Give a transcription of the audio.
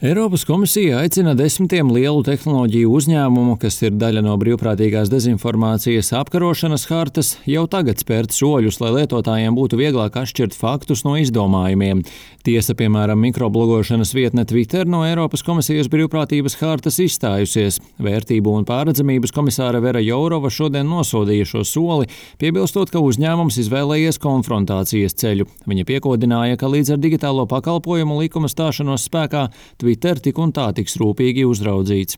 Eiropas komisija aicina desmitiem lielu tehnoloģiju uzņēmumu, kas ir daļa no brīvprātīgās dezinformācijas apkarošanas hartas, jau tagad spērt soļus, lai lietotājiem būtu vieglāk atšķirt faktus no izdomājumiem. Tiesa, piemēram, mikroblogošanas vietne Twitter no Eiropas komisijas brīvprātības hartas izstājusies. Vērtību un pārredzamības komisāre Vera Jourova šodien nosodīja šo soli, piebilstot, ka uzņēmums izvēlējies konfrontācijas ceļu. Viņa piekodināja, ka līdz ar digitālo pakalpojumu likuma stāšanos spēkā Twitter tik un tā tiks rūpīgi uzraudzīts.